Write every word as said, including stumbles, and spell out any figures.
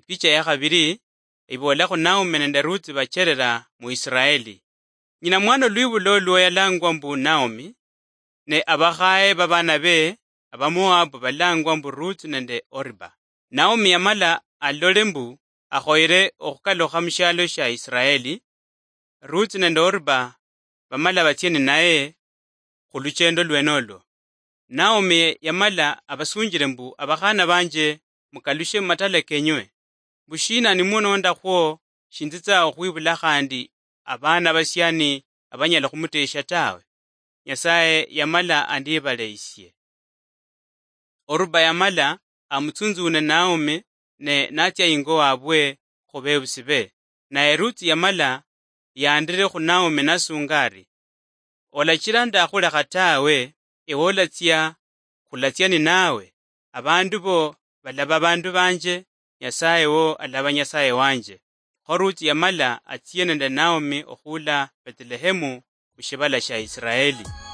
Picha ya khabiri, iboolakho Naomi nende Ruth bacherera mu Israeli. Nyina mwana olwibulo lwo yalangwa mbu Naomi, ne abakhaye babana be Abamoabu balangwa mbu Ruth nende Oriba. Naomi yamala alole mbu akhoyere okhukalukha mushialo shia Israeli, Ruth nende Oriba bamala batsie ninaye khuluchendo lwenolwo. Naomi yamala abasunjire mbu, "Abakhana banje, mukalushe mumatala kenywe. Mbushina nimunondakhwo, shinzitsa okhwibula khandi abana basiani abanyala khumutesha tawe. Nyasaye yamala andibaleishie." Oruba yamala amutsunzune Naomi ne natsia ingo wabwe khubebusi be. Naye Ruth yamala yandire khu Naomi nasunga ari, "Olachira ndakhulekha tawe, ewe olatsia khulatsia ninawe. Abandu bo balaba abandu banje, Nyasaye wo alaba Nyasaye wanje." Kho Ruth yamala atsie nende Naomi okhula Bethlehemu, khushibala shia Israeli.